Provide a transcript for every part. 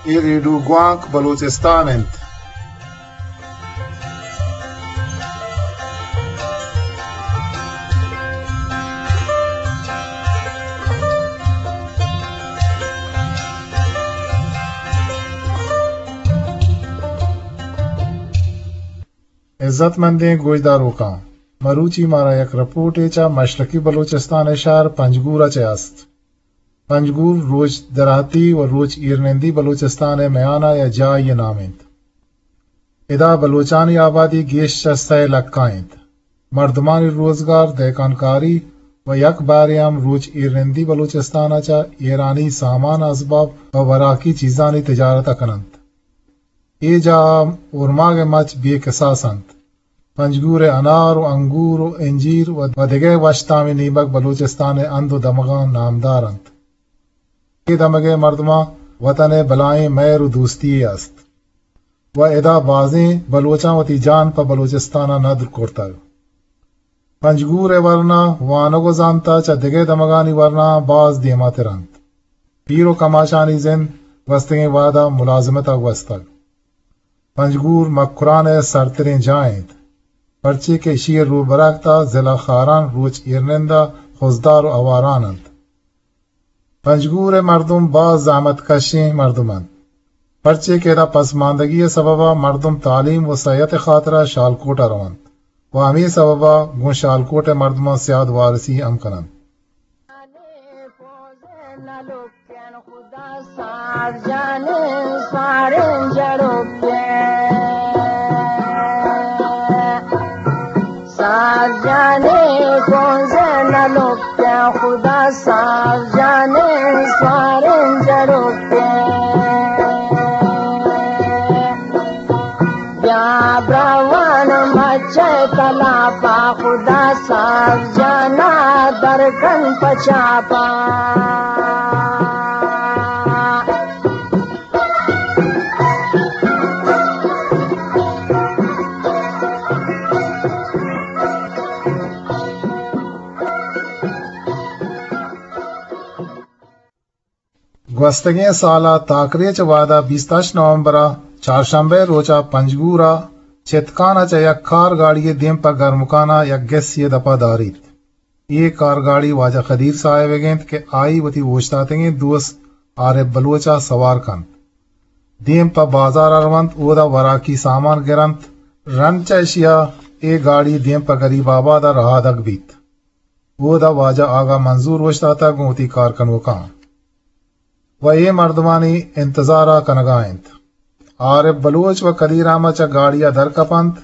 اے ریڈیو گوانک بلوچستان انت۔ عزت مندیں گوشداروکاں، مروچی مارا یک رپورٹے چہ مشرقی بلوچستان ءِ شہر پنجگور ءَ چہ است۔ پنجگور روچ دراہتی و روچ ایرنندی بلوچستان ءِ میان ءَ یا جاہے ءِ نام انت۔ ادا بلوچانی آبادی گیش چہ سئے لکھ ءَ انت۔ مردمانی روزگار دہکانکاری و یک بارے ہم روچ ایرنندی بلوچستان ءَ چہ ایرانی سامان، اسباب و وراکی چیزانی تجارت ءَ کن انت۔ اے جاہ ءَ اورماگ ءِ مچ بے کساس انت۔ پنجگور ءِ انار و انگور و انجیر و، و دگہ وش تامیں نیمگ بلوچستان ءِ ہند و دمگاں نامدار انت۔ اے دمگ ءِ مردماں وطن ءِ بلاہیں مہر و دوستی یے است و ادا بازیں بلوچاں وتی جان پہ بلوچستان ءَ ندر کرتگ۔ پنجگور ءِ ورنا وانگ و زانت ءَ چہ دگہ دمگانی ورنااں باز دیماتر انت۔ پیر و کماشانی زند گوستگیں وہد ءَ ملازمت ءَ گوستگ۔ پنجگور مکران ءِ سرتریں جاہ انت، پرچے کہ ایشی ءِ روبرکت ءَ ضلع خاران، روچ ایرنند ءَ خضدار و ہواران انت۔ پنجگور ءِ مردم باز زحمت کشیں مردم انت، پرچے کہ ادا پسماندگی ءِ سبب ءَ مردم تعلیم و صحت ءِ خاطر ءَ شالکوٹ ءَ رونت و ہمے سبب ءَ گوں شالکوٹ ءِ مردماں سیاد وارثی ہم کن انت۔ ساز جانے پونزے نہ لوٹے، خدا ساز جانے سواریں جڑوٹے۔ بیا براوان مچے تلاپا، خدا ساز جانا درکن پچاپا۔ گوستگیں سال ءِ تاکریچ ءِ وہد ءَ بیست ہشت نومبر ءَ چارشنبہ ءِ روچ ءَ پنجگور ءَ چتکان ءَ چہ یک کار گاڑی ءِ دیم پہ گرمکان ءَ یک گسے ءِ دپ ءَ داریت۔ اے کارگاڑی واجہ قدیر صاحب ئیگ انت کہ آئی وتی اوشتاتگیں دوست عارف بلوچ ءَ سوار کنت۔ دیم پہ بازار ءَ رونت، اودا وراکی سامان گرنت۔ رند چہ ایشی ءَ اے گاڑی دیم پہ گریب آباد ءَ رہادگ بیت۔ اودا واجہ آغا منظور اوشتاتگ گوں وتی کارکنوکاں۔ و اے مردمانی انتظار ءَ کنگ ءَ انت۔ عارف بلوچ و قدیر احمد چہ گاڑی ءَ در کپ انت۔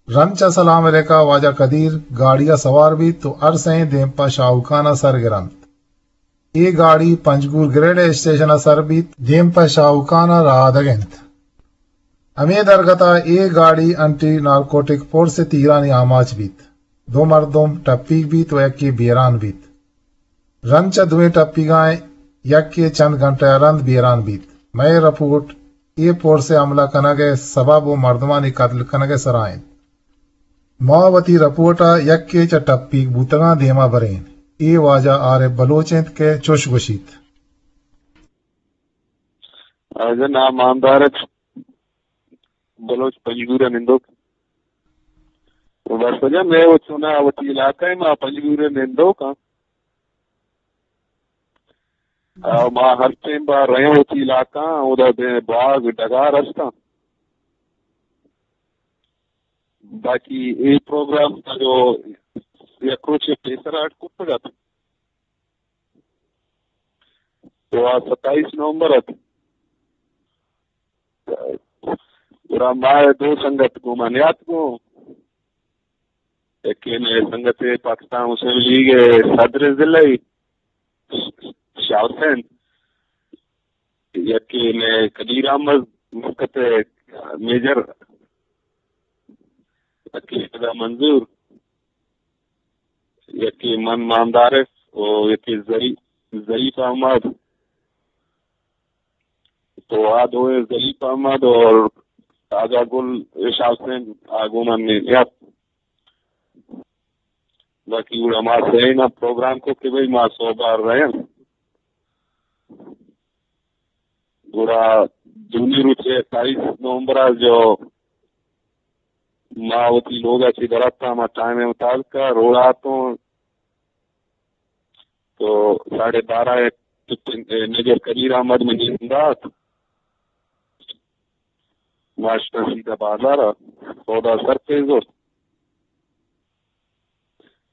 رند چہ سلام علیک ءَ واجہ قدیر گاڑی ءَ سوار بیت و ہر سئیں دیم پہ شاہوکان ءَ سر گرنت۔ اے گاڑی پنجگور گریڈ اسٹیشن ءَ سر بیت، دیم پہ شاہوکان ءَ رہادگ انت۔ ہمے درگت ءَ اے گاڑی انٹی نارکوٹک فورس ءِ تیرانی آماچ بیت۔ دو مردم ٹپیگ بیت و یکے بیران بیت۔ رند چہ دوئیں ٹپیگاں یکے چند گھنٹہ ءَ رند بیران بیت۔ مئے رپورٹ اے پورس ءِ حملہ کنگ ءِ سبب و مردمانی قتل کنگ ءِ سرا انت۔ ما وتی رپورٹ ءَ یکے چہ ٹپیگ بوتگاں دیما بریں۔ اے واجہ عارف بلوچ انت کہ چوش گوشیت۔ واجہ نام ماندار بلوچ پنجگور ءَ نندوک۔ بس واجہ مئے و چونا وتی علاقہ ءَ ما پنجگور ءَ نندوک آں۔ آ، ما ہر ٹائم با رہے وتی علاقہ، اودا دے باغ ڈگار ہستاں۔ باقی اے پروگرام جو یک روچے پیسر اڈ کرتگ ات، تو آ ستائیس نومبر ات۔ گڑا ما دو سنگت گوں ما نیاتکوں۔ یکے مئے سنگت پاکستان مسلم لیگ ءِ صدر ضلعی شاہ حسین، یکے مئے قدیر احمد مسقط ءِ میجر، یکے خدا منظور، یکے من ماندارف و یکے ظریف، ظریف احمد۔ تو آ دوئیں ظریف احمد اور آغا گل، شاہ حسین، آ گوں من نیت۔ باقی گڑا ما سئے نا پروگرام کو کہ بھئی ما سوبا رہے ہیں۔ گڑا دومی روچ ءَ ستائیس نومبر ءَ جو ما وتی لوگ ءَ چہ در اتاں، ما ٹائم ءِ مطابق ءَ روڈ ءَ اتوں، تو ساڑھے بارہ ءَ کپٹن، اے، میجر کبیر احمد منی زندہ ات۔ ما شتاں سیدھا بازار ءَ، سودا سر پہ زرت۔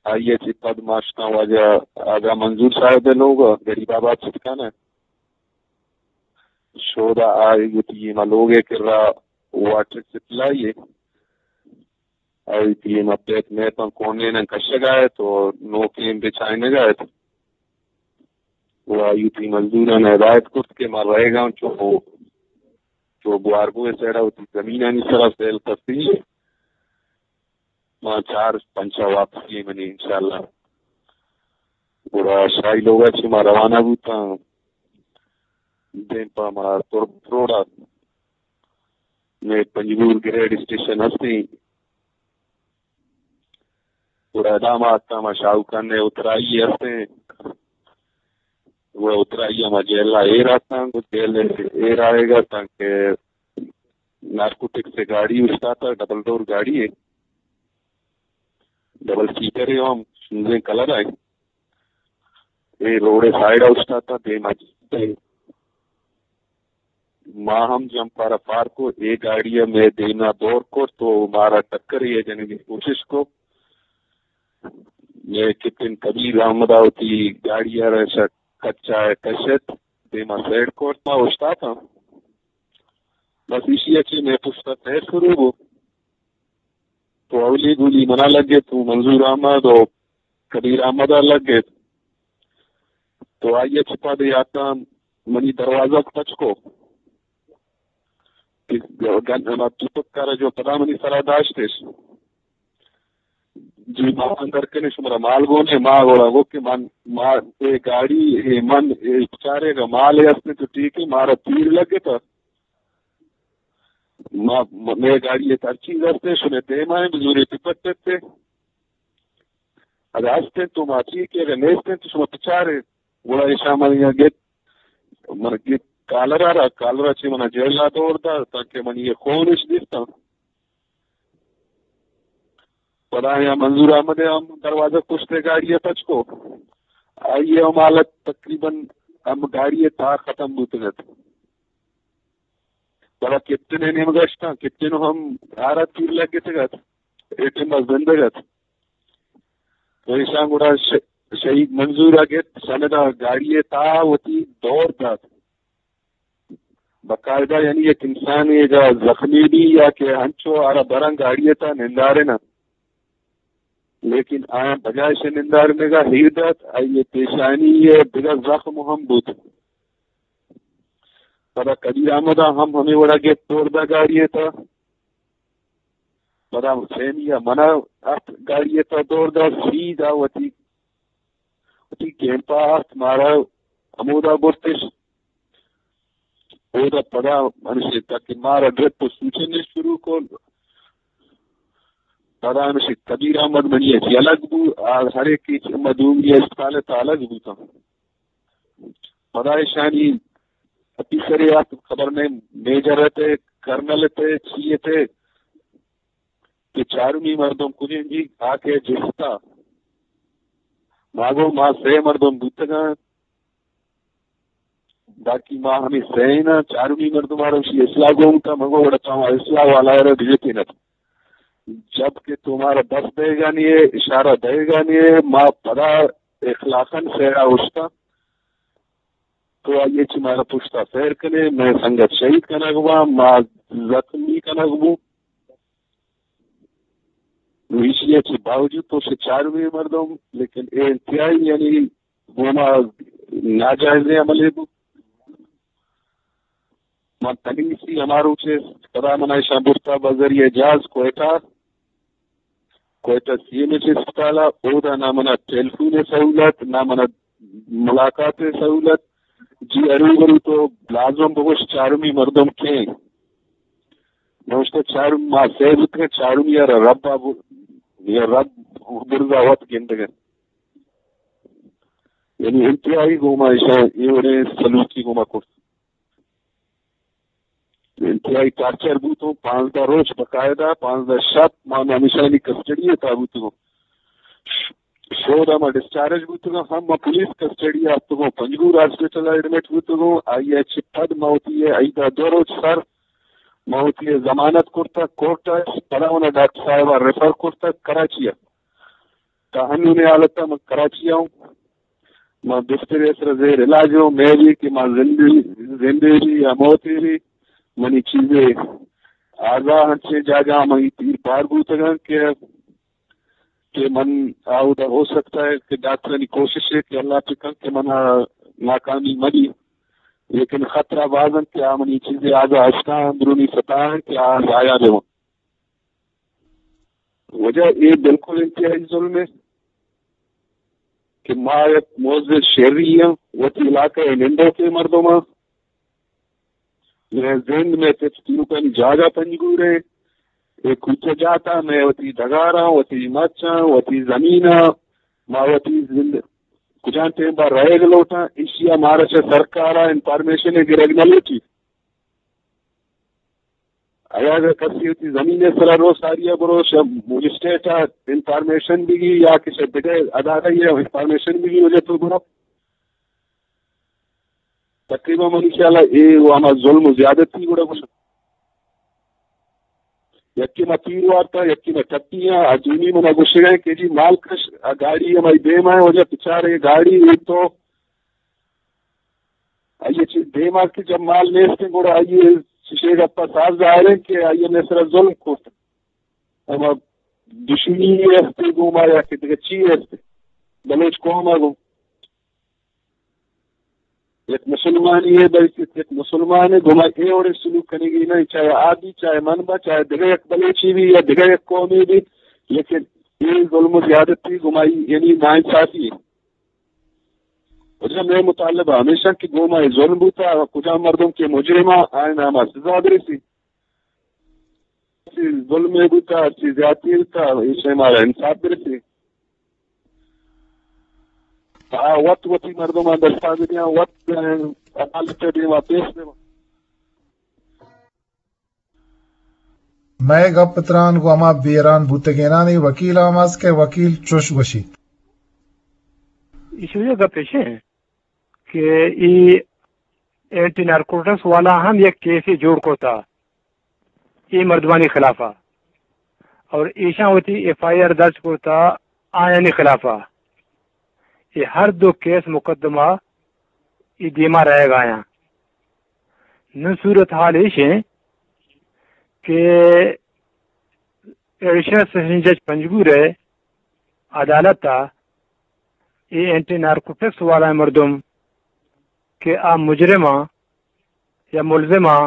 آئی ءَ چہ پد ما شتاں واجہ آغا منظور صاحب ءِ لوگ ءَ، غریب آباد چتکان ءَ۔ شودا آئی وتی ما لوگ ءِ کرا واٹر سپلائی ءَ، آئی وتی ما پیپ میپاں کونیناں کشگ ءَ ات و نوکیں بچائینگ ءَ ات۔ و آئی وتی مزدوراں ہدایت کرت کہ ما رہگاں چو، چو گوارگو ءِ سائیڈ ءَ وتی زمینانی سرا سیل کپی۔ ما چار پنچا واپسی منی انشاءاللہ۔ گڑا شاہی لوگ ءَ چہ ما روانہ بوتاں۔ دیم پہ ما تربت روڈ ءَ، مئے پنجگور گریڈ اسٹیشن ہستیں۔ گڑا ادا ما اتاں، ما شاہو خان ءِ اترائی ہستیں۔ گڑا اترائی ءَ ما جیل ءَ ایر اتاں، گڑا جیل ءَ ایر آئیگ ءَ تانکہ نارکوٹکس ءِ گاڑی اوشتاتہ، ڈبل ڈور گاڑی ءَ، ڈبل سیٹر ءَ، ہم شوزیں کلر ءَ۔ اے روڈ ءِ سائیڈ ءَ اوشتاتہ، دیم ءَ۔ ما ہم جمپ ءَ را پارک کو، اے گاڑی ءَ مئے دیم ءَ دور کرت و مارا ٹکر ءَ جنگ ءِ کوشش کو۔ مئے کپٹن کبیر احمد ءَ وتی گاڑی ءَ را شہ کچ ءَ کشت، دیم ءَ سائیڈ کرت، ما اوشتاتاں۔ بس ایشی ءَ چہ مئے پشت ءَ سیل شروع بو۔ تو اولی گولی منا لگت، تو منظور احمد و کبیر احمد ءَ لگت۔ تو آئی ءَ چہ پد یاتاں منی دروازگ پچ کو۔ گن، ما توپک ءَ را جو پدا منی سرا داشتش۔ جی ما اندر کنے، شمارا مال گون ایں؟ ما گڑا گو کہ من، ما اے گاڑی، اے من، اے چارے گا مال اے ہستے تو ٹھیک ہے، مارا تیر لگتا۔ ما، مئے گاڑی ءَ ہر چیز ہستیں، شمئے دیم ءَ ایں، بزورے ٹپٹ ات۔ اگہ ہستیں تو ما چی کہ، اگہ نیستیں تو شما بچارے۔ گڑا ایشاں من یا گت، من گت کالر ءَ را، کالر ءَ چہ منا جیل ءَ دور دات، تانکہ من یہ خون اش دیستاں۔ پدا یا منظور احمد ءَ ہم دروازہ پشت ءَ گاڑی ءَ پچ کو۔ آئی ءِ ہم حالت تقریباً ہم گاڑی ءِ تہا ختم بوتگ ات۔ پدا کپٹن ءِ نیمگ ءَ شتاں، کپٹن ءَ ہم آرا تیر لگتگ ات، اے ٹیم ءَ زندگ ات۔ تو ایشاں گڑا ش-، شہید منظور ءَ گپت، شمدا گاڑی ءِ تہا وتی دور دات۔ باقاعدہ یعنی یک انسانے اگہ زخمی بی یا کہ ہنچو آرا براں گاڑی ءِ تہا ننداریناں، لیکن آیاں بجائے شہ نندارینگا ہیر دات، آئی ءِ پیشانی ءَ دگہ زخم ہم بوت۔ پدا کبیر احمد ءَ ہم ہمے وڑا گپت، دور دا گاڑی ءِ تہا۔ پدا حسینی ءَ منا ات، گاڑی ءِ تہا دور دا، سیدھا وتی، وتی کیمپ ءَ ات، مارا ہمودا برتش۔ اودا پدا ہمشی تک مارا ڈرپ و سوچن شروع کت۔ پدا ہمشی کبیر احمد منی ءَ چہ الگ بو، آ ہر ایک چہ ما دومی اسپتال ءِ تہا الگ بوتاں۔ پدا ایشانی آفیسرے ات، خبر نہ، میجر ات، کرنل ات، چی ات، کہ چارمی مردم کجیں جی آ کہ جستا۔ ما گو ما سئے مردم بوتگاں، باقی ما ہمے سئے نا، چارمی مردم آرا وشی اصلاح گون کا، مگو وڑا چاما اصلاح والا را بجتینت۔ جب کہ تو مارا دست دئیگانی ہے، اشارہ دئیگانی ہے، ما پدا اخلاقاً سیڑا اشتا۔ تو آئی ءَ چہ مارا پشتا سیر کنے، مئے سنگت شہید کنگ باں، ما زخمی کنگ بوں۔ ایشی ءَ چہ باوجود تو سے چارمی مردم، لیکن اے انتہائی یعنی گوما ناجائزیں عملے بو۔ من تنیسی ہما روچ ءَ پدا منا ایشاں برتا بذریعہ جہاز کوئٹہ، کوئٹہ سی ایم ایچ اسپتال ءَ، اودا نہ منا ٹیلیفون ءِ سہولت، نہ منا ملاقات ءِ سہولت۔ جی ارو برو تو لازم بگوش چارمی مردم کئے؟ نوشتہ چارمی ما سئے بوتگیں، چارمی ءَ را رب ءَ ب-، یا رب برزا وت گندگ ءَ۔ یعنی انتہائی گوما ایشاں اے وڑیں سلوکی گوما کرت۔ انتہائی ٹارچر بوتوں، پانزدہ روچ باقاعدہ، پانزدہ شپ ما ہمیشانی کسٹڈی ء تہا بوتگوں۔ شود ء ما ڈسچارج بوتگاں، ہم ما پولیس کسٹڈی ء اتکگوں، پنجگور ہاسپٹل ء ایڈمٹ بوتگوں، آئی ء چہ پد ما وتی ء عید ء دو روچ سر ما وتی ء ضمانت کرتگ کورٹ ء، پدا منا ڈاکٹر صاحب ء ریفر کرتگ کراچی ء۔ تا ہنونیں حالت ء من کراچی ء اوں، ما بسترے ء سرا زیر علاج اوں، مئے بھی کہ ما زندے، زندے بھی یا موتے بھی، منی چیزے آزا انچیں جاگہ ء منی تیر پار بوتگاں کہ کہ من آودا ہو سکتا ہے کہ ڈاکٹرانی کوشش ہے کہ اللہ پہ کن کہ من ناکامی ملی، لیکن خطرہ باز انت کہ آ منی چیزے آگا ہستاں اندرونی سطح ہیں کہ آ ضائع بہ وجہ اے بالکل انتہائی ظلم ہے کہ ما یک معزز شہری ہیں، وتی علاقہ نندو کے مردم ہیں، مئے زند، مئے تچ تیوکانی جاگہ پنجگور ایں۔ اے کوچہ جات ء مئے وتی ڈگاراں، وتی مچاں، وتی زمیناں، ما وتی زند کجام ٹیم با رہگ لوٹاں، ایشی ء مارا چہ سرکار ء انفارمیشن گرگ نہ لوٹی۔ اگاں اگاں کسی وتی زمین ء سرا رو ساری ء برو، شہ مجسٹریٹ ء انفارمیشن بگی یا کہ شہ دگہ ادارہ ء انفارمیشن بگی، وجہ تو برو۔ تقریباً منی خیال ء اے و ہما ظلم و زیادتی گڑا گوشاں۔ یکے ما تیر وارتا، یکے ما ٹپی آں، آ دومی منا گوشگ ء کہ جی مال کش، آ گاڑی ہمائی دیما ہے، وجہ بچارے گاڑی اے تو آئی چی دیما کہ جب مال نیست گڑا آئی چشے گپا صاف ظاہر ہے کہ آئی مئے سرا ظلم کرت۔ ہما دشمنی است گوما یا کہ دگہ چی است بلوچ قوم ء گوں۔ یک مسلمانے ء، بلکہ یک مسلمان ء گوما اے وڑیں سلوک کنگی نہ، چاہے آ بی، چاہے من با، چاہے دگہ یک بلوچے بی یا دگہ یک قومے بی، لیکن اے ظلم و زیادتی گوما یعنی ناانصافی ہے۔ وجہ مئے مطالبہ ہمیشہ کہ گوما اے ظلم بوتا، کجام مردم کہ مجرم آ، آئین ہما سزا برسی۔ چی ظلمے بوتا، چی زیادتی بوتا، ایشی مارا انصاف برسی۔ آ وت وتی مردماں دستا بدیاں، وت عدالت ء دیما پیش بباں۔ مئے گپ تران گوں ہما بیران بوتگینانی وکیل ہم است کہ وکیل چوش گوشیت۔ ایشی ء گپ ایش انت کہ ای اینٹی نارکوٹکس والا ہم یک کیسے جوڑ کرتا اے مردمانی خلافا اور ایشاں وتی ایف آئی آر درج کرتا آیانی خلافا۔ اے ہر دو کیس مقدمہ ای دیما رہگ آیاں۔ نوں صورتحال ایش انت کہ ایڈیشنل سیشن جج پنجگور ء عدالت ء اے اینٹی نارکوٹکس والا مردم کہ آ مجرماں یا ملزماں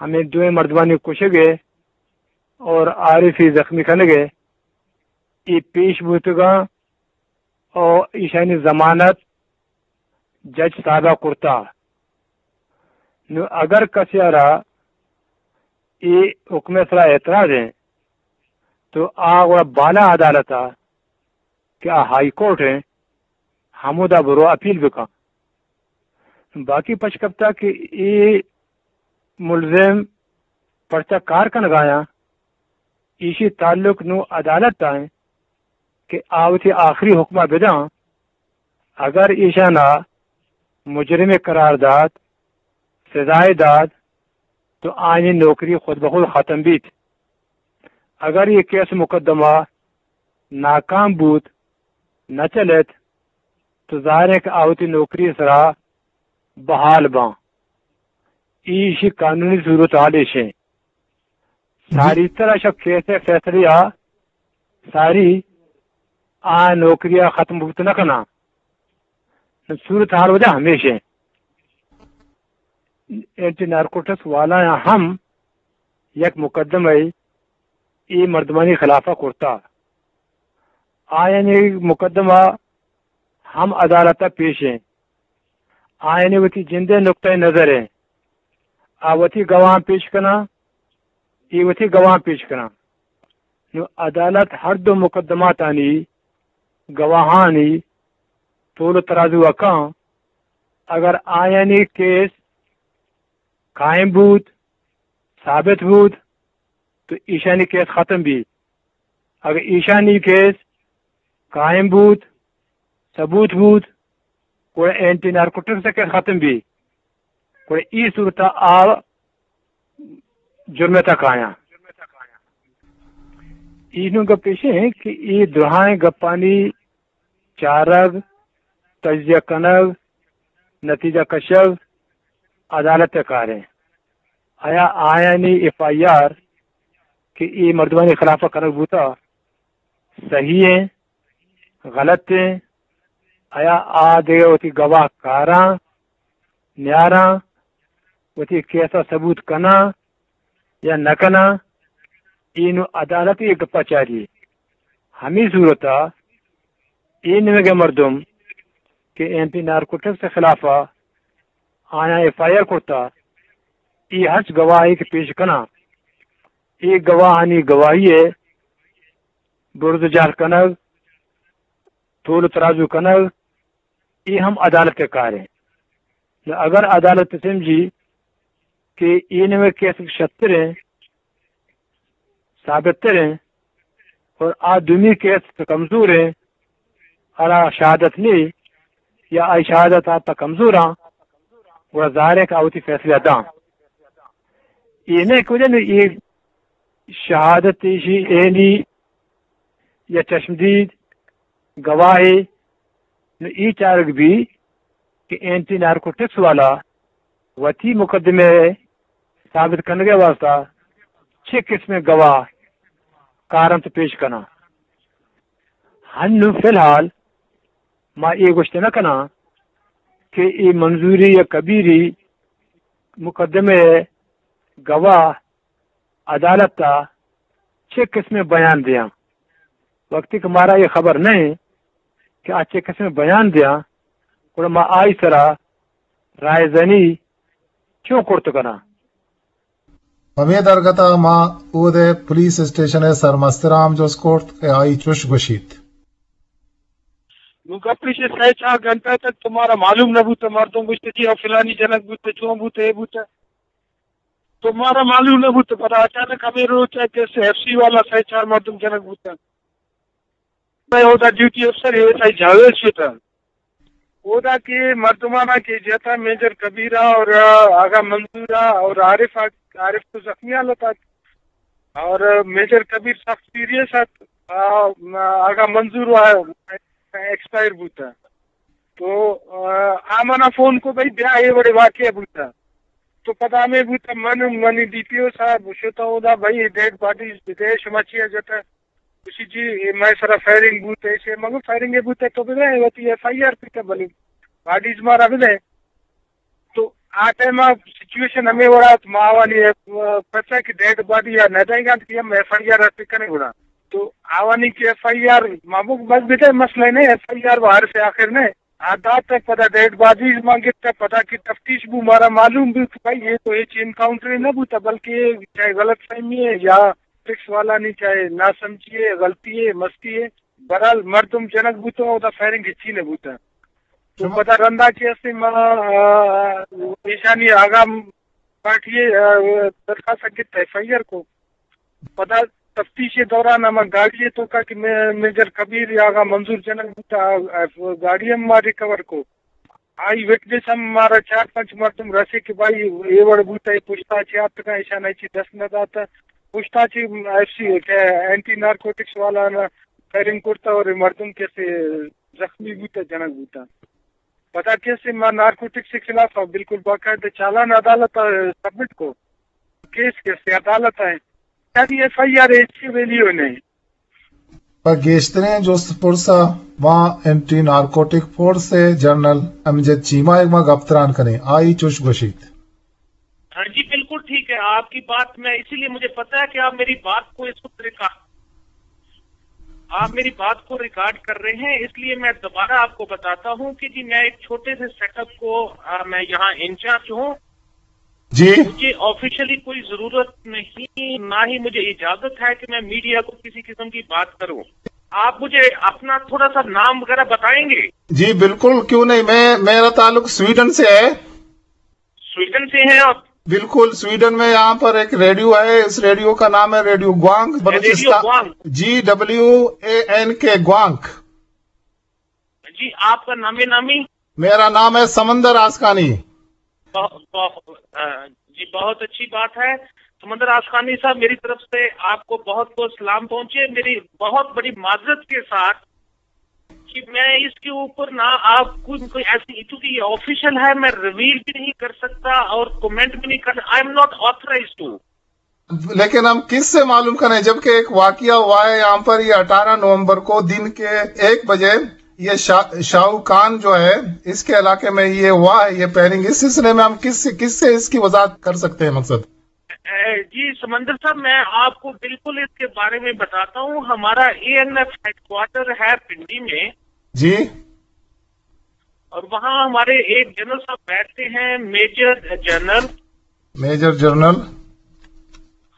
ہمیں دوئیں مردمانی کشگ ء اور عارفی زخمی کنگ ء اے پیش بوتگاں اور ایشانی ضمانت جج صاحبہ کرتا۔ نو اگر کسی را اے حکم سرا اعتراض ہیں تو آ گڑا بالا عدالت ء کہ آ ہائی کورٹ ہیں ہمودا برو اپیل بکن۔ باقی پش کپتا کہ اے ملزم پرچا کار کنگایاں ایشی تعلق نو عدالت ء انت کہ آ وتی آخری حکمہ بداں۔ اگر ایشانا مجرم قرار دات، سزائے دات، تو آنی نوکری خود بخود ختم بیت۔ اگر یہ کیس مقدمہ ناکام بوت، نہ چلت، تو ظاہر ہے کہ آ وتی نوکری سرا بحال باں۔ ایشی قانونی صورتحال ایش ہیں۔ ساری طرح شب کیس فیصلے آ ساری آ نوکری آ ختم بوت نہ کنا۔ صورتحال وجہ ہمیش ہیں۔ اینٹی نارکوٹکس والا ہم یک مقدمہ اے مردمانی خلافا کرتا۔ آیانی مقدمہ ہم عدالت ء پیش ہیں۔ آیانی وتی جندے نقطہ نظر ہیں۔ آ وتی گواہ پیش کنا، اے وتی گواہ پیش کنا۔ نو عدالت ہر دو مقدماتانی گواہانی تول و ترازو ء کن، اگر آیانی کیس قائم بوت، ثابت بوت، تو ایشانی کیس ختم بیت۔ اگر ایشانی کیس قائم بوت، ثبوت بوت، گڑا اینٹی نارکوٹکس ءِ کیس ختم بیت، گڑا ای صورت ءَ آ جرم ءِ تہا کایاں۔ اینو گپ ایش انت کہ ای دراہیں گپانی چارگ، تجزیہ کنگ، نتیجہ کشگ عدالت ءِ کار انت۔ آیا آیانی ایف آئی آر کہ اے مردمانی خلاف ءَ کنگ بوتہ، صحیح انت، غلط انت؟ آیا آ دگہ وتی گواہ کاراں، نیاراں، وتی کیس ءَ ثبوت کناں یا نہ کناں؟ اے نوں عدالت ءَ اے گپ ءَ چاری۔ ہمے صورت ءَ اے نیمگ ءِ مردم کہ اینٹی نارکوٹکس ءِ خلاف ءَ آیاں ایف آئی آر کرتہ، اے ہرچ گواہے کہ پیش کناں، اے گواہانی گواہی ءِ برز ءُ جہل کنگ، تول ءُ ترازو کنگ، اے ہم عدالت ءِ کار انت۔ نوں اگر عدالت سمجھی کہ اے نیمگ ءِ کیس شرتر انت، ثابت تر انت، اور آ دومی کیس کمزور انت، آرا شہادت نی یا آئی شہادت آ تہ کمزور آں، گڑا ظاہر انت کہ آ وتی فیصلہ داں۔ اے نہ کہ وجہ نوں اے شہادت ایشی عینی یا چشمدید گواہے، نوں اے چارگ بی کہ اینٹی نارکوٹکس والا وتی مقدمہ ءِ ثابت کنگ ءِ واستہ چے قسمیں گواہ کارنت پیش کناں۔ ہنو فی الحال ما اے گوشت نہ کناں کہ اے منظوری یا کبیری مقدمہ ءِ گواہ عدالت ءَ چے قسمیں بیان دیاں۔ وقتی کہ مارا اے خبر نہ انت کہ آ چے قسمیں بیان دیاں، گڑا ما آئی سرا رائے زنی چون کرت کناں؟ ہمے درگت ءَ ما اود ءِ پولیس اسٹیشن ءِ سرمستر ءَ ہم جست کرت کہ آئی چش گوشیت۔ نوں گپ ایش انت، سئے چار گھنٹہ تک تو مارا معلوم نہ بوتہ، مردم گوشتہ جی ہو فلانی جنک بوتہ، چون بوتہ، اے بوتہ۔ تو مارا معلوم نہ بوتہ، پدا اچانک ہمے روچ ءَ کہ ایف سی والا سئے چار مردم جنک بوتہ۔ مئے اودا ڈیوٹی افسر اے ایس آئی جاوید شتہ۔ اودا کہ مردمانا کہ جتا میجر کبیرا اور آغا منظورا اور عارف، عارف تو زخمی حالت ات اور میجر کبیر سخت سیریس ات۔ آ، آغا منظور وا ایکسپائر بوتا۔ تو، آ، آ منا فون کو بھئی بیا اے وڑے واقعہ بوتا۔ تو پدا ہمے بوتا من، منی ڈی پی او صاحب شتا اودا بھئی ڈیڈ باڈیز بدے شما چیا جتا؟ گوشی جی، اے مئے سرا فائرنگ بوت، ایشی مگو فائرنگ بوت تو بدے، وتی ایف آئی آر پیتا بلے باڈیز مارا بدے۔ تو آ ٹائم آ سچویشن ہمے وڑا ات، ما آوانی، آ، پرچا کہ ڈیڈ باڈی یا نہ دائیں گا کہ ہم ایف آئی آر پہ کنے گڑا۔ تو آوانی کہ ایف آئی آر ما بک بس بدے مسئلہ نہیں، ایف آئی آر وہ حرف آخر نہیں۔ آ دات ء پدا ڈیڈ باڈیز ما گپت ء پدا کہ تفتیش بو مارا معلوم بو کہ بھئی اے تو ہچ انکاؤنٹرے نہ بوتا بلکہ چاہے غلط فہمی ہے یا ٹیکس والانی چاہے ناسمجھی ہے، غلطی ہے، مستی ہے، بہرحال مردم جنگ بوتا اودا فائرنگ ہچی نہ بوتا۔ تو شما پدا رندا کہ اسے ما، آ، ایشانی آغا پارٹی، آ، درخواست گپت ایف آئی آر کو۔ پدا تفتیش دوران ہما گاڑی توکا کہ مے-، میجر کبیر یا آغا منظور جنگ بوتا، آ، گاڑی ہم ما ریکور کو۔ آئی وٹنس ہم مارا چار پنچ مردم رسے کہ بھائی اے وڑ بوتا، اے پشتا چے آتکا، ایشان ایچی دست نہ داتا۔ پشتا چے ایف سی، اینٹی نارکوٹکس والا نا فائرنگ کرتا اور اے مردم کسے زخمی بوتا، جنگ بوتا۔ پدا کسے ما نارکوٹکس کے خلاف بالکل باقاعدہ چالان عدالت سبمٹ کو۔ کیس کسے عدالت ہے۔ یعنی ایف آئی آر ایچ کی ویلیو نہیں۔ پہ گیشتریں جست پرس ء ما اینٹی نارکوٹک فورس ء جنرل امجد چیمہ ء ما گپ تران کنیں۔ آئی چوش گوشیت۔ ہاں جی، بالکل ٹھیک ہے آپ کی بات۔ میں اسی لیے مجھے پتا ہے کہ آپ میری بات کو اس وقت ریکارڈ، آپ میری بات کو ریکارڈ کر رہے ہیں، اس لیے میں دوبارہ آپ کو بتاتا ہوں کہ جی میں ایک چھوٹے سے سیٹ اپ کو، آ، میں یہاں انچارج ہوں۔ جی۔ مجھے آفیشلی کوئی ضرورت نہیں، نہ ہی مجھے اجازت ہے کہ میں میڈیا کو کسی قسم کی بات کروں۔ آپ مجھے اپنا تھوڑا سا نام وغیرہ بتائیں گے؟ جی بالکل، کیوں نہیں۔ میں، میرا تعلق سویڈن سے ہے۔ سویڈن سے ہیں آپ؟ बिल्कुल, स्वीडन में यहाँ पर एक रेडियो है, इस रेडियो का नाम है रेडियो ग्वांग, रेडियो बलूचिस्तान। ग्वांग। जी डब्ल्यू ए एन के, ग्वांग। जी, आपका नामे नामी? मेरा नाम है समंदर आसकानी। बहुत, बहुत, अ, जी, बहुत अच्छी बात है। समंदर आसकानी साहब, मेरी तरफ से आपको बहुत बहुत सलाम पहुंचे। मेरी बहुत बड़ी माजरत के साथ कि मैं इसके ऊपर ना आपको कोई ऐसी, क्योंकि ये ऑफिशियल है, मैं रिवील भी नहीं कर सकता और कमेंट भी नहीं कर, I am not authorized to। लेकिन हम किससे मालूम करें, जबकि एक वाकया हुआ है यहाँ पर, ये अठारह नवंबर को दिन के एक बजे, ये शा-, शाहू खान जो है, इसके इलाके में ये हुआ है, ये फायरिंग। इस सिलसिले में हम किस किससे इसकी वजाहत कर सकते हैं, मकसद? अ, जी समंदर साहब, मैं आपको बिल्कुल इसके बारे में बताता हूँ। हमारा एएनएफ हेडक्वार्टर है पिंडी में। जी। और वहाँ हमारे एक जनरल साहब बैठते हैं, major general major general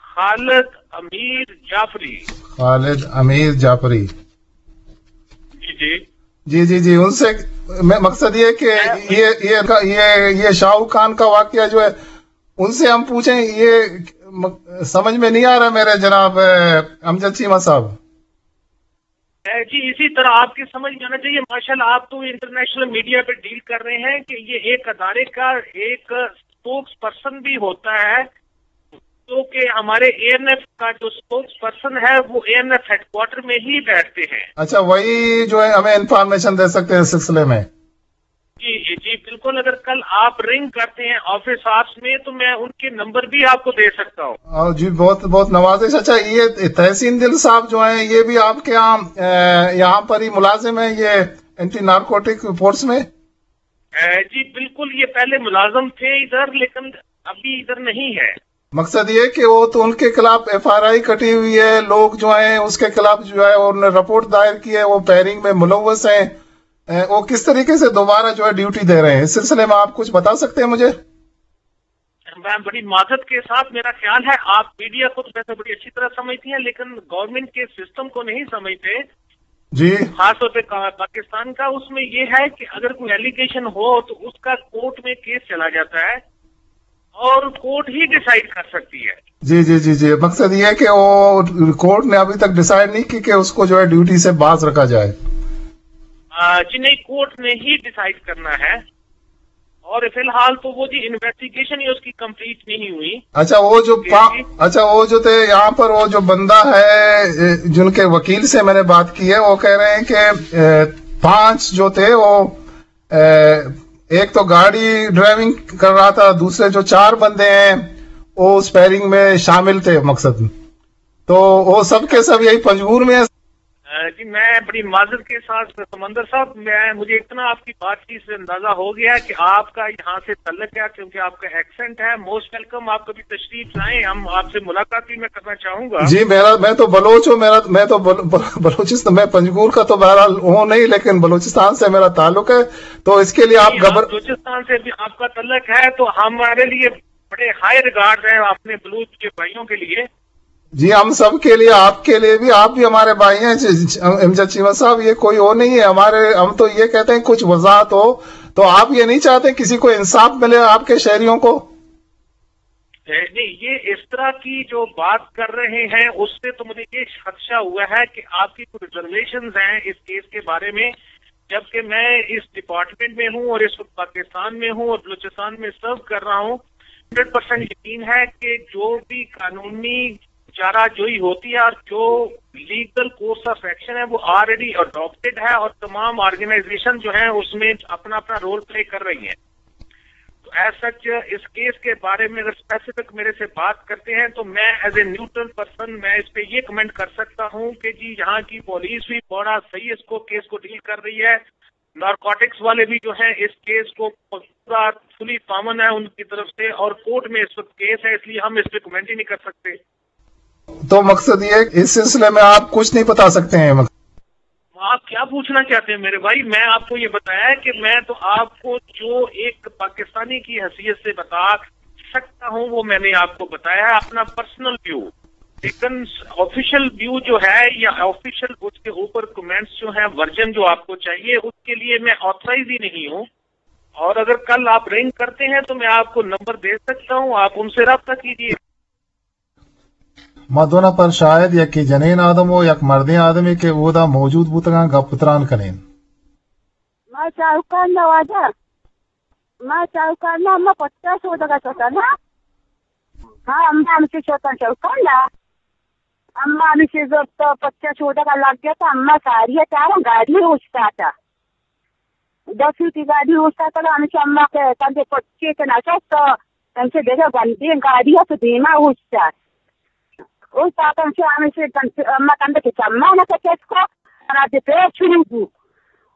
Khalid Amir Jafri. खालिद अमीर जाफरी। जी, जी। जी, जी, जी। उनसे, मैं, मकसद ये कि मैं ये, ये, ये, ये शाहू खान का वाकया जो है, उनसे हम पूछें, ये म-, समझ में नहीं आ रहा मेरे जनाब, अ, अमजद चीमा साहब। अ, जी, इसी तरह आपकी समझ में आना चाहिए। माशाल्लाह, आप तो इंटरनेशनल मीडिया पे डील कर रहे हैं कि ये एक अदारे का एक स्पोक्स पर्सन भी होता है, तो कि हमारे एएनएफ का जो स्पोक्स पर्सन है, वो एएनएफ हेडक्वार्टर में ही बैठते हैं। अच्छा, वही जो है, हमें इंफॉर्मेशन दे सकते हैं इस सिलसिले में। जी, जी, बिल्कुल। अगर कल आप रिंग करते हैं ऑफिस आवर्स में, तो मैं उनके नंबर भी आपको दे सकता हूँ। हाँ जी, बहुत, बहुत नवाजिश। अच्छा, ये तहसीन दिल साहब जो हैं, ये भी आपके यहाँ, अ, यहाँ पर ही मुलाजिम हैं, ये एंटी नारकोटिक फोर्स में? अ, जी, बिल्कुल, ये पहले मुलाजिम थे इधर, लेकिन अभी इधर नहीं है। मकसद ये कि वो तो उनके खिलाफ एफआरआई कटी हुई है, लोग जो हैं उसके खिलाफ जो है उन्होंने रिपोर्ट दायर की है, वो फायरिंग में मुलव्वस हैं। अ, वो किस तरीके से दोबारा जो है ड्यूटी दे रहे हैं, इस सिलसिले में आप कुछ बता सकते हैं मुझे? मैं बड़ी माजरत के साथ, मेरा ख्याल है आप मीडिया को तो वैसे बड़ी अच्छी तरह समझती हैं, लेकिन गवर्नमेंट के सिस्टम को नहीं समझते। जी। खासतौर पे का-, पाकिस्तान का, उसमें ये है कि अगर कोई एलिगेशन हो तो उसका कोर्ट में केस चला जाता है और कोर्ट ही डिसाइड कर सकती है। जी, जी, जी, जी। मकसद ये है कि वो कोर्ट ने अभी तक डिसाइड नहीं की कि उसको जो है ड्यूटी से बाज रखा जाए। आ, जी नहीं, कोर्ट ने ही डिसाइड करना है। और फिलहाल तो वो जी इन्वेस्टिगेशन ही उसकी कंप्लीट नहीं हुई। अच्छा, वो जो जी, पा-, जी। अच्छा, वो जो थे यहाँ पर, वो जो बंदा है, ए, जिनके वकील से मैंने बात की है, वो कह रहे हैं कि, ए, पांच जो थे वो, ए, एक तो गाड़ी ड्राइविंग कर रहा था, दूसरे जो चार बंदे हैं वो उस फायरिंग में शामिल थे, मकसद। तो वो सब के सब यही पंजगूर में है। अ, जी, मैं बड़ी माजरत के साथ, समंदर साहब, मैं, मुझे इतना आपकी बातचीत से अंदाजा हो गया कि आपका यहाँ से तल्लक है, क्योंकि आपका एक्सेंट है। मोस्ट वेलकम, आप कभी तशरीफ लाएं, हम आपसे मुलाकात भी मैं करना चाहूंगा। जी, मेरा, मैं तो बलोच हूँ, मेरा, मैं तो बल-, बल-, बलोचिस्तान, मैं पंजगूर का तो बहरहाल हूँ नहीं, लेकिन बलूचिस्तान से मेरा ताल्लुक है, तो इसके लिए आप जी, आप घबर- बलूचिस्तान से भी आपका तल्लक है, तो हमारे लिए बड़े हाई रिगार्ड हैं अपने बलूच के भाइयों के लिए। जी, हम सब के लिए, आपके लिए भी, आप भी हमारे भाई हैं। ज-, ज-, अमजद चीमा साहब, ये कोई और नहीं है हमारे, हम तो ये कहते हैं कुछ वजाहत हो, तो आप ये नहीं चाहते किसी को इंसाफ मिले आपके शहरियों को? ए, नहीं, ये इस तरह की जो बात कर रहे हैं, उससे तो मुझे ये खदशा हुआ है कि आपकी कुछ रिजर्वेशंस हैं इस केस के बारे में, जबकि मैं इस डिपार्टमेंट में हूँ और इस वक्त पाकिस्तान में हूँ और बलूचिस्तान में सर्व कर रहा हूँ। हंड्रेड परसेंट यकीन है कि जो भी कानूनी चाराजोई होती है और जो लीगल कोर्स ऑफ एक्शन है, वो ऑलरेडी अडॉप्टेड है और तमाम ऑर्गेनाइजेशन जो हैं, उसमें अपना अपना रोल प्ले कर रही हैं। तो एज सच इस केस के बारे में अगर स्पेसिफिक मेरे से बात करते हैं, तो मैं एज ए न्यूट्रल पर्सन मैं इस पे ये कमेंट कर सकता हूँ कि जी, यहाँ की पुलिस भी बड़ा सही इसको, केस को डील कर रही है। नारकोटिक्स वाले भी जो हैं, इस केस को पूरा फुली पावन है उनकी तरफ से और कोर्ट में इस वक्त केस है, इसलिए हम इस पे कमेंट ही नहीं कर सकते। तो मकसद ये है कि इस सिलसिले में आप कुछ नहीं बता सकते हैं? आप क्या पूछना चाहते हैं मेरे भाई? मैं आपको ये बताया है कि मैं तो आपको जो एक पाकिस्तानी की हैसियत से बता सकता हूँ, वो मैंने आपको बताया है, अपना पर्सनल व्यू। लेकिन ऑफिशियल व्यू जो है या ऑफिशियल उसके ऊपर कमेंट्स जो हैं, वर्जन जो आपको चाहिए, उसके लिए मैं ऑथराइज ही नहीं हूँ। اور اگر کل آپ رنگ کرتے ہیں تو میں آپ کو نمبر دے سکتا ہوں، آپ ان سے رابطہ کیجیے۔ ما دو نفر شاہد، یکے جنین آدم و یک مردین آدمے کہ اودا موجود بوتگاں، گپ و تران کنین۔ ما چاروکان نہ واجہ، ما چاروکان نہ، اما پچا شودگا شتا نا۔ ہاں، اما ہمشی شتا چاروکان نہ۔ اما ہمشی زرت پچا شودگا لگ گیا تا، اما ساری چارا گاڑی اوشتاتا۔ دس وتی گاڑی اوشتاتگ، ہمیشہ اما کہ کندے پچے کہ نشست، انچو دگہ گندیں گاڑی ات دیما اوشتات۔ اوشتات انچو ہمیشہ کن-، اما کندے کہ چمانا کہ چست کو، انا دے پیر شروع بو۔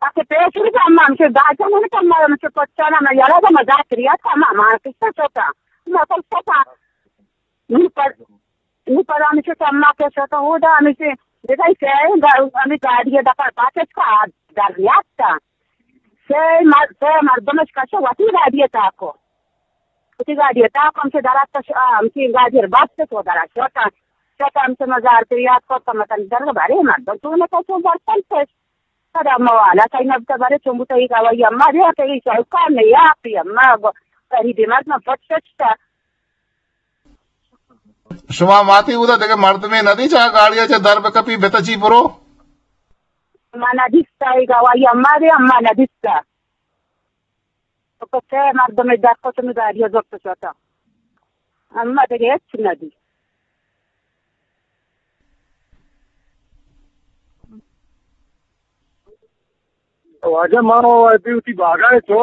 آ کہ پیر شروع بو، اما ہمیشہ داجا نہ کہ اما ہمیشہ پچانا، اما یلا دا مزاک ریات، اما ہما کسا شتا، اما کسا شتا۔ نی پر، نی پر ہمیشہ اما کہ شتا، اودا ہمیشہ دگہ سہ گا-، ہمیں گاڑی دپا پاکت کا در ریات۔ سئے مر-، سئے مردمش کش وتی گاڑی ء تاکو۔ وتی گاڑی ء تاکو ہمچو درات کش، آ، ہمچی گاڑی ء بست تو درات شوتا۔ شوتا ہمچو مزار پریات کو کمتن درگ بارے مردم تو نہ کشو برتن کش۔ پدا موالا کئی نبتا بارے چون بوتا ای گواہی اما دیا کئی شوکا نہیں آپی اما گو-، غریبی مردم پٹ کشتا۔ شما ماتی اودا دگہ مردمے ندی چا گاڑی ء چہ در بکپی بتچی برو؟ ما ندیستا، اے گواہی اما دے، اما ندیستا۔ تو کسے مردمے در کت نہ گاڑی ء زرت شتا۔ اما دگہ ہچ ندی۔ واجہ ما وتی، وتی باغا ء چو،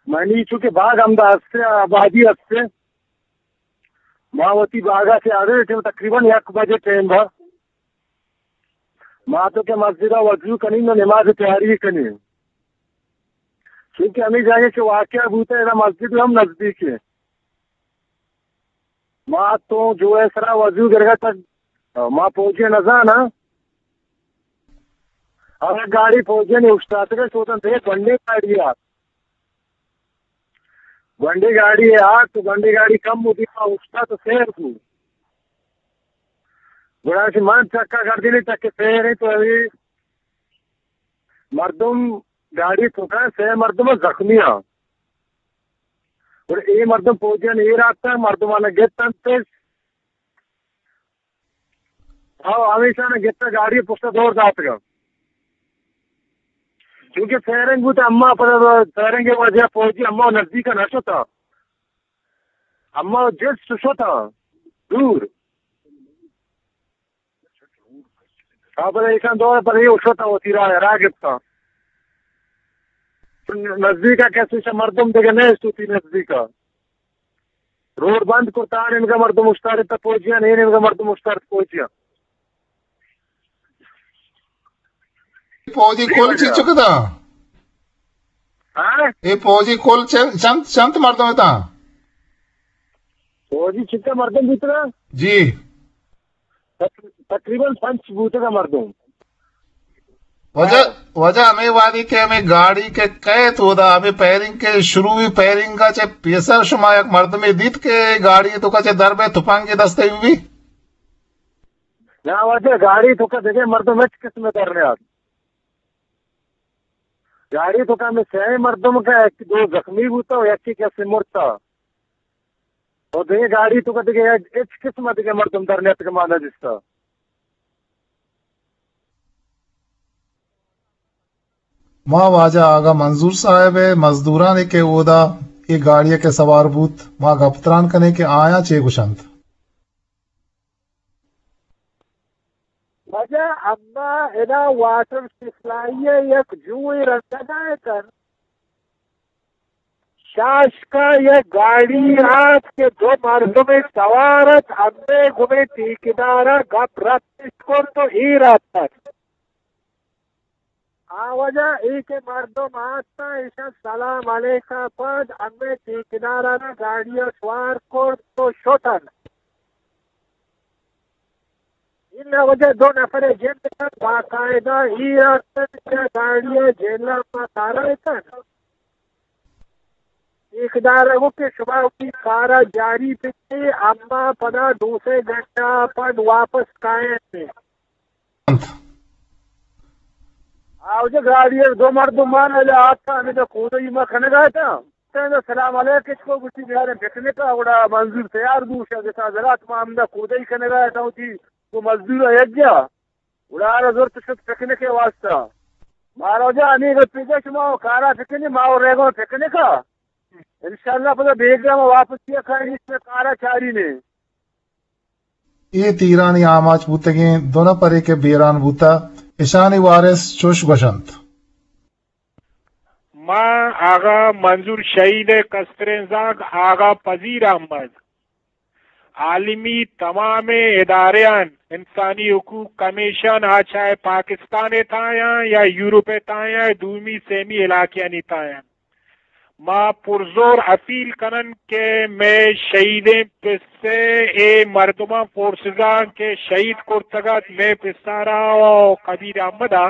منی چونکہ باغ ہمدا ہستے، آبادی ہستے، ما وتی باغا سے آدے ٹیم تقریباً یک بجے ٹیم با۔ ما تو کہ مسجد ء وضو کنیں و نماز تیاری کنیں، چونکہ ہمیں جاگہ کہ واقعہ بوتا ہے، مسجد ہم نزدیک ہے۔ ما تو جو ہے سرا وضو گرگا تک ما پوجے نزانا۔ ہمیں گاڑی پوجے نے اشتاتگا، سوتن تے بندے گاڑی آ۔ گونڈی گاڑی ء آت، تو گونڈی گاڑی کم بوتی، ما اوشتات و سیر بو۔ گڑا چہ من چکا گردینی، چکے سیر انت و اے مردم گاڑی توکا سئے مردم زخمی آں۔ گڑا اے مردم پوجیان ایر آتکاں، مردمانا گپتنتش۔ او ہمیشان گپتہ گاڑی پشت دور داتگا۔ چونکہ فائرنگ بوت، اما پر فائرنگ وجہ پوجی اما نزدیک نہ شتا۔ اما جست شتا دور۔ آ پر ایشان دور پر یہ شتا ہوتی راہ، راہ گپتا۔ نزدیکا کسی سے مردم دیگه نیست ہوتی نزدیکا۔ روڈ بند کرتا، آ نیمگا مردم اوشتارتا پوجیاں، اے نیمگا مردم اوشتارتا پوجیاں۔ پوجی کل چنچک اتاں؟ ہاں؟ اے پوجی کل چن-، چنت، چنت مردم اتاں؟ پوجی چنت مردم بوتگا؟ جی۔ تق-، تقریباً پنچ بوتگا مردم۔ واجہ، واجہ ہمے وہدی کہ ہمے گاڑی کہ کئیت اودا ہمے فائرنگ کہ شروع بی، فائرنگا چہ پیسر شما یک مردمے دیت کہ گاڑی توکا چہ در بئے تپنگے دستے بی؟ نا واجہ، گاڑی توکا دگہ مردم ہچ قسم در نیات۔ گاڑی توکا ہمے سئے مردم کہ یک دو زخمی بوتا و یکے کسے مرتا۔ و دگہ گاڑی توکا دگہ ہچ قسم دگہ مردم در نیاتک ما نہ دیستا۔ ما واجہ آغا منظور صاحب ء مزدورانے کہ اودا اے گاڑی ء کہ سوار بوت، ما گپ تران کنیں کہ آیاں چے گوشنت۔ واجہ، اما ادا واٹر سپلائی ء یک جوئے رندگا اتن۔ شاشکا یک گاڑی آت کہ دو مردمے سوار ات، ہمے گومے ٹھیکیدارا گپ رپت کرت و ایر آتک۔ آ واجہ اے کہ مردم آتاں، ایشاں سلام علیکا پد ہمے ٹھیکیدارانا گاڑیا سوار کرت و شتن۔ انا واجہ دو نفر جند اتنت، باقاعدہ ایر آتنت کہ گاڑیا جیلا ما کارا اتنت۔ ٹھیکیدارا گو کہ شما وتی کارا جاری بکنے، اما پدا دو سے گھنٹہ پد واپس کائیں۔ انت۔ آوجہ گاڑی ءَ دو مردم مان الا آتا، ہمیں دا کودئی ما کنگا تا۔ تیندا سلام علیک اچ کو، گوشتی بیاریں پکنک ءَ، گڑا منظور تیار بو، شاہ گسا زرات ما ہمدا کودئی کنگا تا، وتی کو مزدور ءَ یک جا۔ گڑا آرا زرت شت پکنک ءِ واسطہ۔ مارا جا ہمیں گپ پیجا شما و کارا پکنک، ما و ریگا پکنک ءَ۔ انشاءاللہ پدا بیگا ما واپس کیا کھائیں، اس میں کارا چاری نے۔ اے تیرانی آماچ بوتگیں دو نپرے کہ بیران بوتہ، اشانی وارث چوش گوشنت۔ ما آغا منظور شہید ءِ کستریں زاگ آغا پذیر احمد عالمی تمامیں اداریان، انسانی حقوق کمیشن، آ چاہے پاکستان ءِ تایاں یا یورپ ءِ تایاں، دومی سیمی علاقیانی تایاں، ما پرزور اپیل کنن کہ مئے شہیدیں پسے اے مردماں فورسزاں کہ شہید کرتگ ات، مئے پسارا و کبیر احمد ءَ،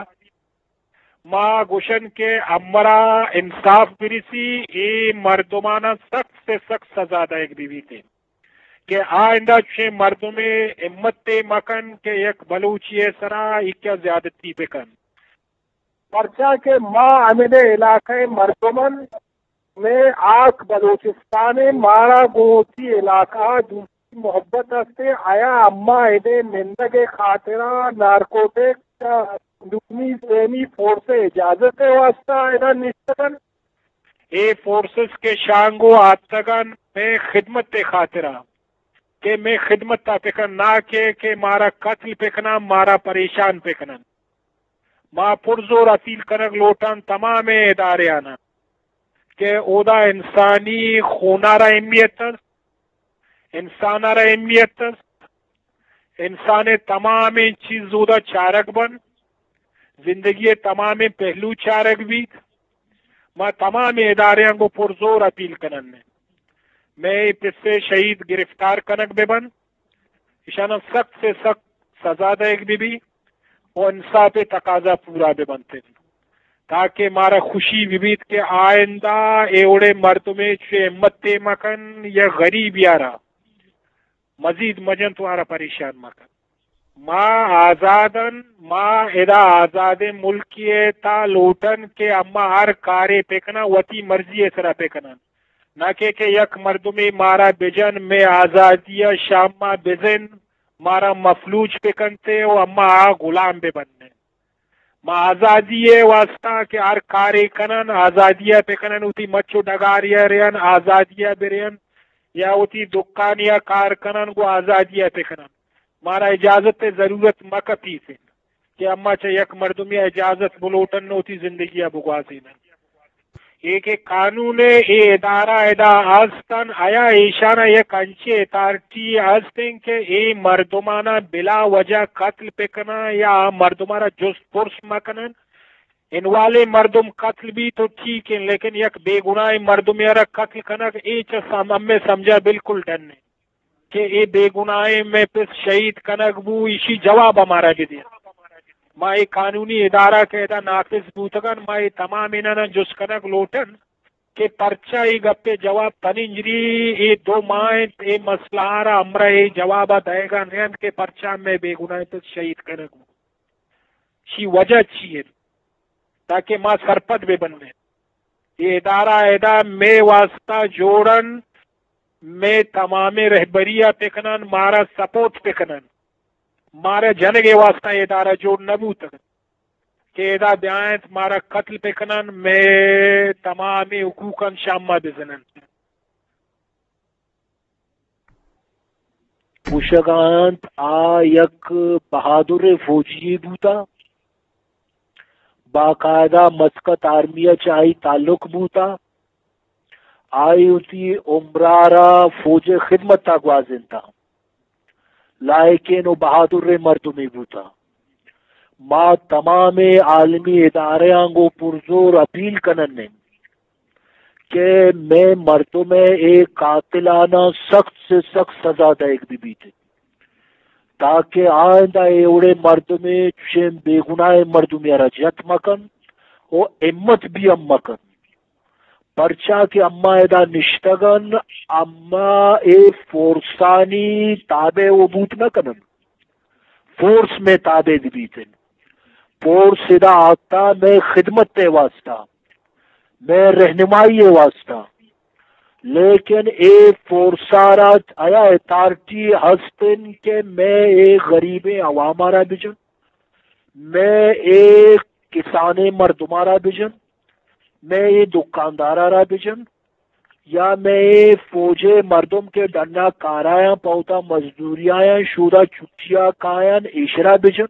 ما گوشن کہ امرا انصاف برسی، اے مردمانا سخت سے سخت سزا دئیگ بہ بیت کہ آئندہ چوشیں مردمے ہمت مکن کہ یک بلوچی سرا ایکیا زیادتی بکن۔ پرچا کہ ما ہمیں علاقہ مردمن، مئے آک بلوچستان ءَ، مارا گوں وتی علاقہ ءَ دوستی محبت است ءُ آیا اما ادے نندگ ءِ خاطرا نارکوٹک دومی سیمی فورس ءِ اجازت ءِ واسطہ ادا نشتگ انت؟ اے فورسز کہ شانگو آتگ انت مئے خدمت ءِ خاطرا کہ مئے خدمت ءَ بکن، نہ کہ، کہ مارا قتل بکنن، مارا پریشان بکنن۔ ما پرزور اپیل کنگ لوٹاں تمامیں اداریانا کہ اودا انسانی خونارا اہمیت است، انسانارا اہمیت است، انسان ءِ تمامیں چیز اودا چارگ بنت، زندگی ءِ تمامیں پہلو چارگ بیت۔ ما تمامیں اداریاں گوں پرزور اپیل کنن مئے پسے شہید گرفتار کنگ بہ بنت، اشاناں سخت سے سخت سزا دئیگ بہ بیت و انصاف ءِ تقاضا پورا بہ بنت انت، تاکہ مارا خوشی بہ بیت کہ آئندہ اے وڑیں مردمے چوشیں ہمتے مکن یا غریبی ءَ را مزید مجنت و آرا پریشان مکن۔ ما آزادن، ما ادا آزادیں ملکے ءِ تہا لوٹن کہ اما ہر کارے بکنن، وتی مرضی ءِ سرا بکنن۔ نہ کہ، کہ یک مردمے مارا بجن، مئے آزادی ءَ شاما بزن، مارا مفلوج بکنتے و اما آ غلام ببنن۔ ما آزادی ءِ واسطہ کہ ہر کارے کنن، آزادی ءَ بکنن، وتی مچ و ڈگاری ءَ رئین، آزادی ءَ برئین، یا وتی دکانی ءَ کار کنن، گوں آزادی ءَ بکنن۔ مارا اجازت ءِ ضرورت مکپیت انت کہ اما چہ یک مردمے ءَ اجازت بلوٹن و وتی زندگی ءَ بگوازینن۔ اے کہ قانون ءِ اے ادارہ ادا ہستن، آیا ایشانا یک انچیں اتھارٹی ہستیں کہ اے مردمانا بلا وجہ قتل بکنن یا آ مردمارا جست پرس مکنن؟ انوالیں مردم قتل بیت تو ٹھیک انت، لیکن یک بے گناہیں مردمے را قتل کنگ، اے چہ سم-، ہمے سمجھا بالکل ڈن انت کہ اے بے گناہیں مئے پس شہید کنگ بو، ایشی جواب ہمارا بدے۔ ما اے قانونی ادارہ کہ ادا نافذ بوتگن، ما اے تمام انانا جست کنگ لوٹن کہ پرچا اے گپے جواب پننجری اے دو ماہ انت، اے مسئلہ را ہمراہ اے جواب دئیگا نہ انت کہ پرچا مئے بے گناہیں پس شہید کنگ بو۔ شی وجہ چی انت؟ تاکہ ما سرپد بہ بنیں۔ اے ادارہ ادا مئے واسطہ جوڑ انت، مئے تمامیں رہبری ءَ بکنن، مارا سپورٹ بکنن۔ مارا جنگ ءِ واسطہ اے ادارہ جوڑ نہ بوتگ کہ ادا بیاینت مارا قتل بکنن، مئے تمامیں حقوقاں شاما بزنن۔ گوشگ ءَ انت آ یک بہادریں فوجی یے بوتا، باقاعدہ مسقط آرمی ءَ چہ آئی تعلق بوتا، آئی وتی عمر ءَ را فوج ءِ خدمت ءَ گوازینتا، لائقیں و بہادریں مردمے بوتا۔ ما تمامیں عالمی ادارہاں گوں پرزور اپیل کنن ایں کہ مئے مردم ءِ اے قاتلاناں سخت سے سخت سزا دئیگ بہ بیت، تاکہ آئندہ اے وڑیں مردمے چشیں بے گناہیں مردمے ءَ را جت مکن و ہمت بھی ہم مکن۔ پرچا کہ اما ادا نشتگن، اما اے فورسانی تابع و بوت نہ کنن۔ فورس مئے تابع بہ بیت انت۔ فورس ادا آتا مئے خدمت ءِ واسطہ، مئے رہنمائی ءِ واسطہ، لیکن اے فورس ءَ را آیا اتھارٹی ہست انت کہ مئے اے غریبیں عوام ءَ را بجن، مئے اے کسانیں مردم ءَ را بجن، مئے اے دکاندار ءَ را بجن، یا مئے اے فوج ءِ مردم کہ ڈن ءَ کار ءَ آیاں، پہ وتا مزدوری ءَ آیاں، شودا چھٹی ءَ کایاں، ایشرا بجن؟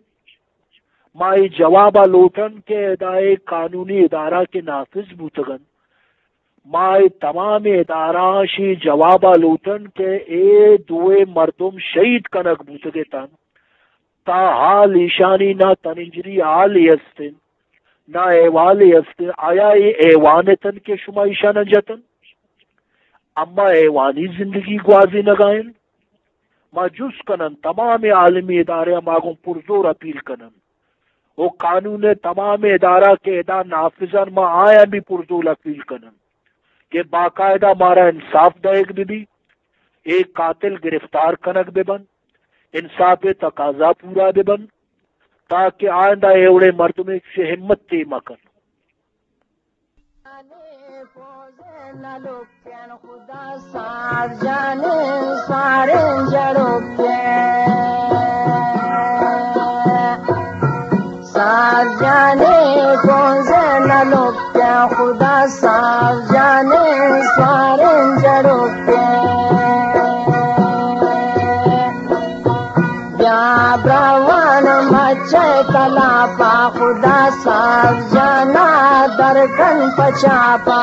ما اے جواب ءَ لوٹن کہ ادا اے قانونی ادارہ کہ نافذ بوتگ انت، ما اے تمام ادارہ شی جواب ءَ لوٹن کہ اے دوئیں مردم شہید کنگ بوتگ اتنت، تا حال ایشانی نہ تننجری حالے است انت، نہ احوالے است انت۔ آیا اے حیوان اتنت کہ شما ایشاناں جتن؟ اما حیوانی زندگی گوازینگ ءَ انت؟ ما جست کنن، تمام عالمی ادارہ ءَ ما گوں پرزور اپیل کنن، او قانون ءِ تمام ادارہ کہ ادا نافذ انت، ما آیاں بھی پرزور اپیل کنن کہ باقاعدہ مارا انصاف دئیگ بہ بی، اے قاتل گرفتار کنگ بہ بنت، انصاف ءِ تقاضا پورا بہ بنت، تاکہ آئندہ اے وڑیں مردمے چہ ہمت تے مہ کن۔ خدا ساز جانیں ساریں جڑوکیں، ساز جانیں پونزے نلوکیں، خدا ساز جانیں ساریں جڑوکیں۔ بیا براوان مچے تلاپا، خدا ساز جانا درکن پچاپا۔